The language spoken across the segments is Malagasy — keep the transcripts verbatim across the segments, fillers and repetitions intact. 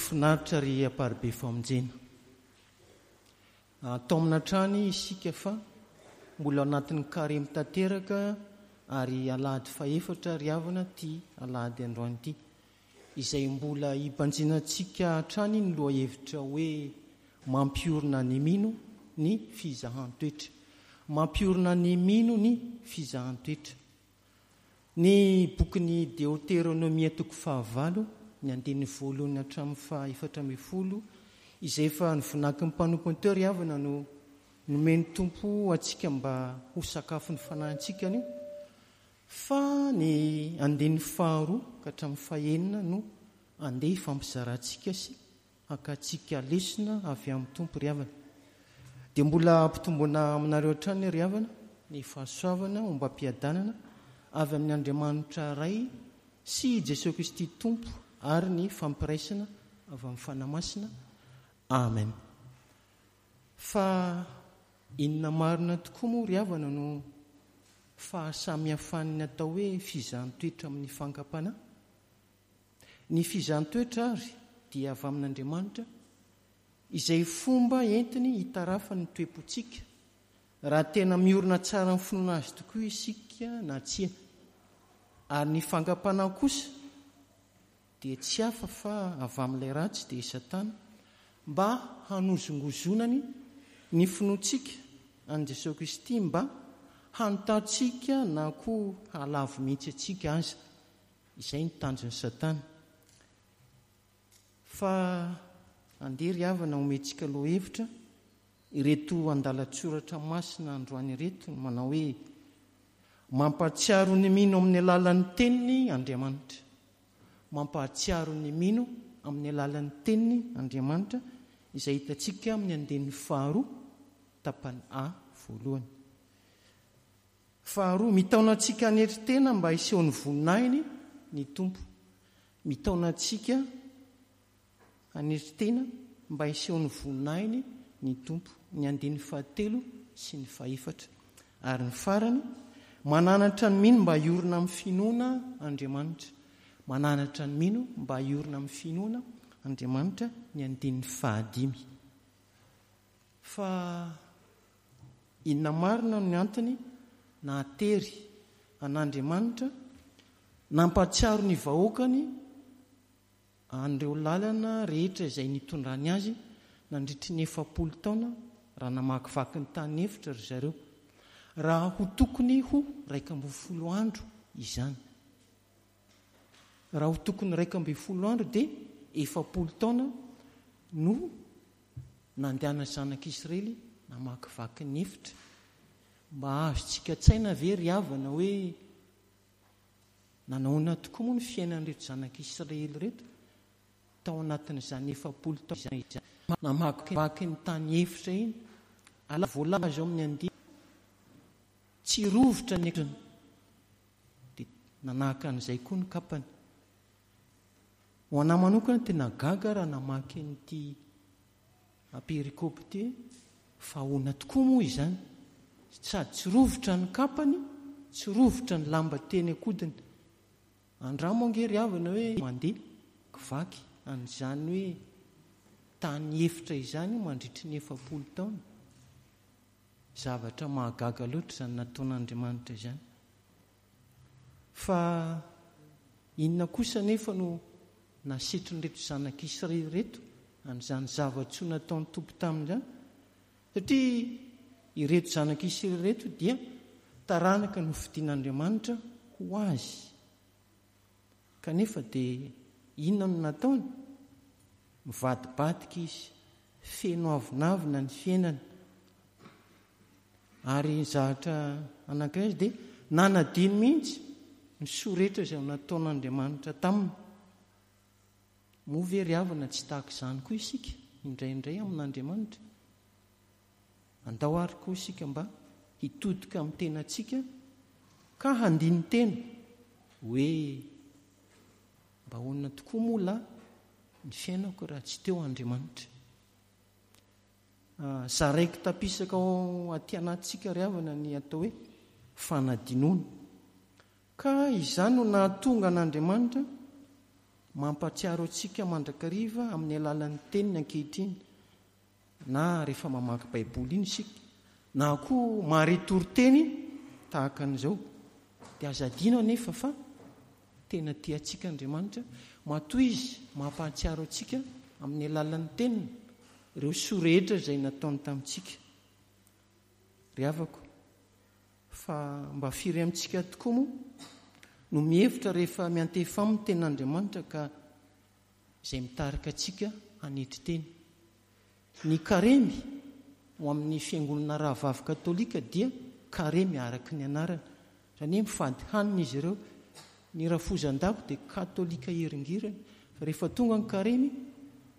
Finaritra ry Amparibe Famonjena. Taomina hatrany isika fa mbola ao anatin'ny karemy tanteraka ary alahady fahefatra ry havana ity alahady androany ity, izay mbola hibanjinantsika hatrany ny lohahevitra hoe mampiorina ny mino ny fizahan-toetra. Mampiorina ny mino ny fizahan-toetra. Ny bokin'ny Deoteronomia toko fahavalo, ny andininy voalohany hatramin'ny faha efatra ambin'ny folo, izay efa nivonakin'ny mpanompony teo ry havana no nomen'ny Tompo antsika mba ho sakafon'ny fanahintsika anio, fa ny andininy faharoa ka hatramin'ny fahenina no andeha hifampizarantsika sy hakantsika lesona avy amin'ny Tompo ry havana. Dia mbola ampitomboina aminareo hatrany ry havana ny fahasoavana ombam-piadanana avy amin'ny Andriamanitra Ray sy Jesoa Kristy Tompo ary ny fampiraisana avy amin'ny Fanahy Masina. Amen. Fa inona marina tokoa moa ry havana no fahasamihafan'ny atao hoe fizahan-toetra amin'ny fankam-panahy? Ny fizahan-toetra ary dia avy amin'Andriamanitra, izay fomba entiny hitarafany ny toe-pontsika, raha tena miorina tsara amin'ny finoana azy tokoa isika na tsia. Ary ny fankam-panahy kosa dia tsy hafa fa avy amin'ilay ratsy, dia i Satana, mba hanozongozonany ny finoantsika an'i Jesoa Kristy, mba hanotantsika na koa hahalavo mihitsy antsika aza. Izay ny tanjon'i Satana. Fa andeha ry havana omentsika lohahevitra ireto andalan-tsoratra masina androany ireto, ny manao hoe mampahatsiaro ny mino amin'ny alalan'ny teniny Andriamanitra. Mampahatsiaro ny mino amin'ny alalan'ny teniny Andriamanitra, izay hitantsika amin'ny andininy faharoa tapany A voalohany. Faharoa, mitaona antsika hanetry tena mba hiseho ny voninahiny ny Tompo. Mitaona antsika hanetry tena mba hiseho ny voninahiny ny Tompo. Ny andininy fahatelo sy ny fahefatra. Ary ny farany, mananatra ny mino mba hiorina amin'ny finoana Andriamanitra. Mananatra ny mino mba hiorina amin'ny finoana Andriamanitra, ny andininy fahadimy. Fa inona marina no antony nahatery an'Andriamanitra nampahatsiaro ny vahoakany an'ireo lalana rehetra izay nitondrany azy nandritry ny efapolo taona raha namakivaky ny tany efitra ry zareo, raha ho tokony ho iraika ambin'ny folo andro izany. Raha ho tokony iraika ambin'ny folo andro dia efapolo taona no nandehana zanak'Israely namakivaky ny efitra. Mba azontsika an-tsaina ve ry havana hoe nanahoana tokoa moa ny fiainan'ireto zanak'Israely ireto tao anatin'izany efapolo taona izany namakivaky ny tany efitra iny? Ary voalaza ao amin'ny andininy tsy rovitra ny akanjony, dia nanahaka an'izay koa ny kapany. Ho anahy manokana tena gaga raha namaky an'ity perikopa ity, fa ahoana tokoa moa izany? Sady tsy rovitra ny kapany, tsy rovitra ny lamba teny an-kodiny. Andramo ange ry havana hoe mandeha kivaky an'izany hoe tany efitra izany mandritry ny efapolo taona. Zavatra mahagaga loatra izany nataon'Andriamanitra izany. Fa inona kosa nefa no nasetrin'ireto zanak'Israely ireto an'izany zava-tsoa nataon'ny Tompo tamin'izany? Satria ireto zanak'Israely ireto dia taranaka nofidin'Andriamanitra ho azy. Kanefa dia inona no nataony? Mivadibadika izy, feno avonavona ny fiainany. Ary zavatra anankiray izy dia nanadino mihitsy ny soa rehetra izay nataon'Andriamanitra taminy. Moa ve ry havana tsy tahaka izany koa isika indraindray amin'Andriamanitra? Andao ary koa isika mba hitodika amin'ny tenantsika ka handini-tena hoe mba ahoana tokoa moa lahy ny fiainako raha tsy teo Andriamanitra. Zaraiko tapisaka ao aty anatintsika ry havana ny atao hoe fanadinoana. Ka izany no nahatonga an'Andriamanitra mampahatsiaro antsika mandrakariva amin'ny alalan'ny teniny ankehitriny, na rehefa mamaky Baiboly iny isika, na koa mahare toriteny tahaka an'izao. Dia aza adino anefa fa tena tia antsika Andriamanitra, matoa Izy mampahatsiaro antsika amin'ny alalan'ny teniny ireo soa rehetra izay nataony tamintsika. Ry havako, fa mba firy amintsika tokoa moa no mihevitra rehefa miantefa aminy tenin'Andriamanitra ka izay mitarika antsika hanetry teny. Ny karemy ho amin'ny fiangonana rahavavy katolika dia karemy araka ny anarany. Izany hoe mifady hanina izy ireo. Ny rafozan-dako dia katolika hiringiriny, fa rehefa tonga ny karemy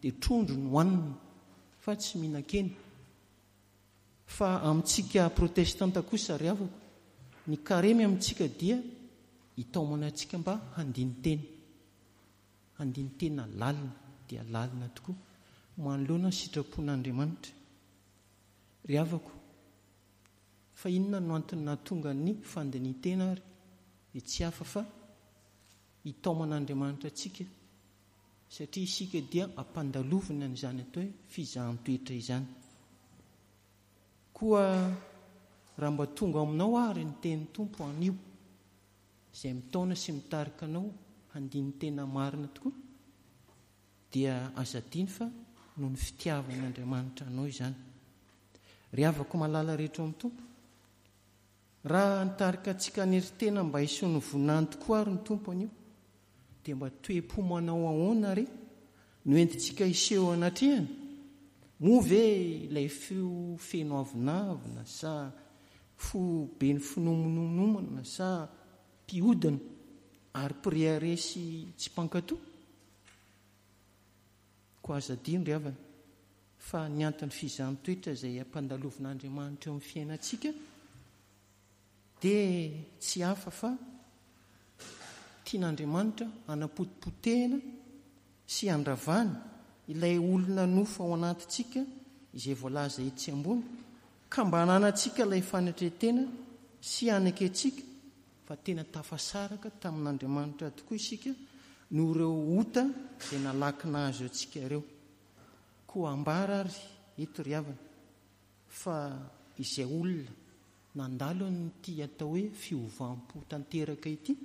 dia trondro no hohanina fa tsy mihinan-kena. Fa amintsika protestanta kosa ry havako, ny karemy amintsika dia hitaomana antsika mba handini-tena. Handini-tena lalina dia lalina tokoa manoloana ny sitrapon'Andriamanitra. Ry havako, fa inona no antony nahatonga ny fandinihan-tena ary? Dia tsy hafa fa hitaoman'Andriamanitra antsika, satria isika dia ampandalovina an'izany atao hoe fizahan-toetra izany. Koa raha mba tonga aminao ary ny tenin'ny Tompo anio, izay mitaona sy mitarika anao handini-tena marina tokoa, dia aza adino fa noho ny fitiavan'Andriamanitra anao izany. Ry havako malala rehetra ao amin'ny Tompo, raha nitarika antsika hanery-tena mba hiseho ny voninahiny tokoa ary ny Tompo anio, dia mba toe-po manao ahoana re no entintsika hiseho anatrehany? Moa ve ilay fo feno avonavona sa fo be ny finomonomonana sa mpiodina ary mpirehareha sy tsy mpankato? Koa aza adino ry havana fa ny anton'ny fizahan-toetra izay ampandalovin'Andriamanitra eo amin'ny fiainantsika dia tsy hafa fa tian'Andriamanitra hanapotipotehina sy handravana ilay olona nofo ao anatintsika izay voalaza etsy ambony, ka mba hananantsika ilay fanetren-tena sy hanekentsika fa tena tafasaraka tamin'Andriamanitra tokoa isika noho ireo ota izay nalaky nahazo antsika ireo. Koa ambara ary eto ry havana fa izay olona nandalo an'ity atao hoe fiovam-po tanteraka ity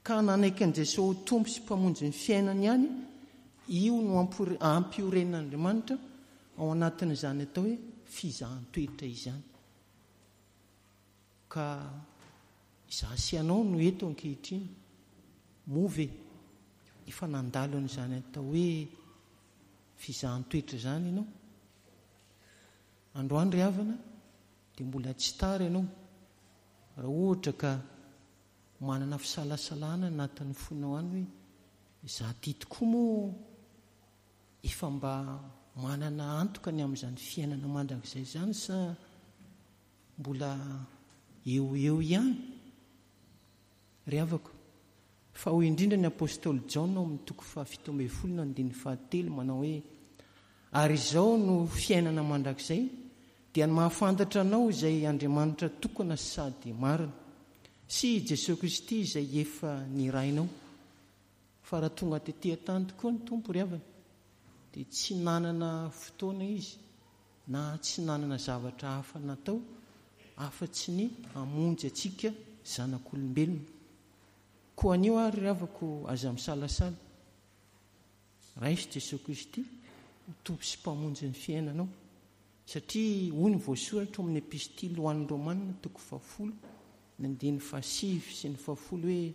ka nanaiky an'i Jesoa ho Tompo sy Mpamonjy ny fiainany ihany, io no ampioren'Andriamanitra ao anatin'izany atao hoe fizahan-toetra izany. Ka izaho sy ianao no eto ankehitriny, moa ve efa nandalo an'izany atao hoe fizahan-toetra izany ianao? Androany ry havana dia mbola tsy tara ianao raha ohatra ka manana fisalasalana anatin'ny fonao any hoe izaho ty tokoa moa efa mba manana antoka ny amin'izany fiainana mandrakizay izany sa mbola eo eo ihany? Ry havako, fa hoy indrindra ny apostoly Jaona ao amin'ny toko fahafito ambin'ny folo na andininy fahatelo manao hoe ary izao no fiainana mandrakizay, dia ny mahafantatra anao izay Andriamanitra tokana sady marina sy i Jesoa Kristy izay efa nirahinao. Fa raha tonga tety an-tany tokoa ny Tompo ry havana, dia tsy nanana fotoana izy na tsy nanana zavatra hafa natao afa-tsy ny hamonjy antsika zanak'olombelona. Koa anio ary ry havako, aza misalasala, raiso Jesoa Kristy ho Tompo sy Mpamonjy ny fiainanao, satria hoy ny voasoratra ao amin'ny epistily ho an'ny Romana toko fahafolo ny andininy fahasivy sy ny fahafolo hoe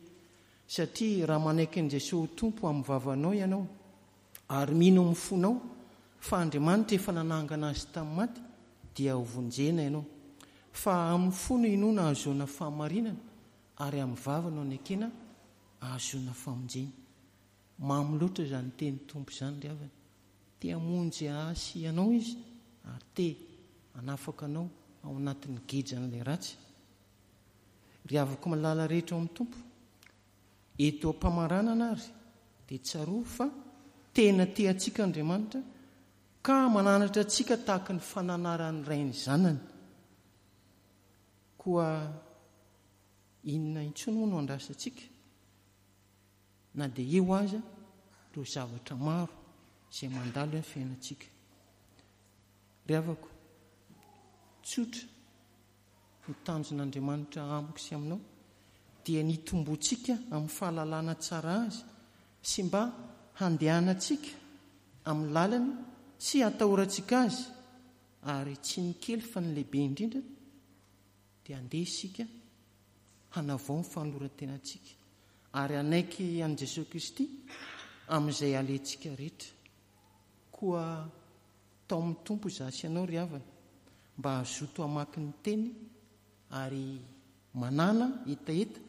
satria raha manaiky an'i Jesoa ho Tompo amin'ny vavanao ianao ary mino amin'ny fonao fa Andriamanitra efa nanangana azy tamin'ny maty, dia ho vonjena ianao. Fa amin'ny fo no inoana ahazoana fahamarinana, ary amin'ny vava no anekena ahazoana famonjena. Mamy loatra izany teny Tompo izany ry havana. Te hamonjy ahy sy ianao izy ary te hanafaka anao ao anatin'ny gejan'ilay ratsy. Ry havako malala rehetra ao amin'ny Tompo, eto am-pamaranana ary dia tsarovy fa tena tia antsika Andriamanitra ka mananatra antsika tahaka ny fananaran'ny ray ny zanany. Koa inona intsony moa no andrasantsika? na dia eo aza ireo zavatra maro izay mandalo amin'ny fiainantsika. Ry havako, tsotra ny tanjon'Andriamanitra amiko sy aminao dia ny hitomboantsika amin'ny fahalalana tsara azy sy mba handehanantsika amin'ny lalany sy hatahorantsika azy, ary tsy ny kely fa ny lehibe indrindra dia andeha isika hanavao ny fanoloran-tenantsika ary hanaiky an'i Jesoa Kristy amin'izay alehantsika rehetra. Koa tao amin'ny Tompo izaho sy ianao ry havana mba hazoto hamaky ny teny ary manana hetaheta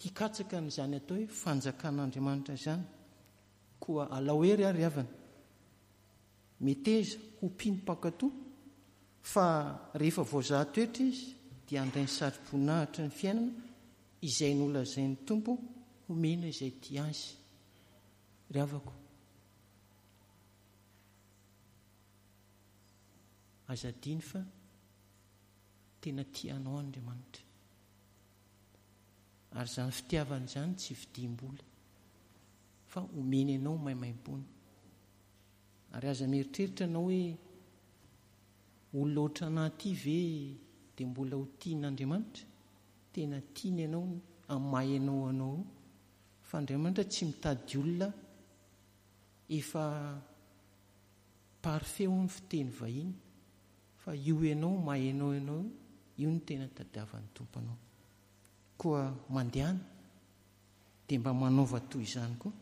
hikatsaka an'izany atao hoe fanjakan'Andriamanitra izany. Koa alao hery ary havana, meteza ho mpino mpankatò, fa rehefa voazaha toetra izy dia handray ny satroboninahitra ny fiainana izay nolazain'ny Tompo homena izay tia azy. Ry havako, aza adino fa tena tia anao Andriamanitra. Ary izany fitiavana izany tsy vidiam-bola, fa omeny anao maimaimpoana. Ary aza mieritreritra anao hoe olona ohatranà ity ve dia mbola ho tian'Andriamanitra? Tena tiany ianao amin'ny maha ianao anao io. Fa Andriamanitra tsy mitady olona efa parfait hoy ny fiteny vahiny, fa io ianao maha ianao ianao io, io no tena tadiavan'ny Tompo anao. Koa mandehana dia mba manaova toy izany koa,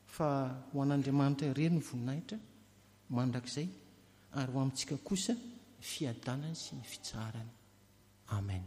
fa ho an'Andriamanitra irery ny voninahitra mandrakizay, ary ho amintsika kosa ny fiadanany sy ny fitsaharany. Amen.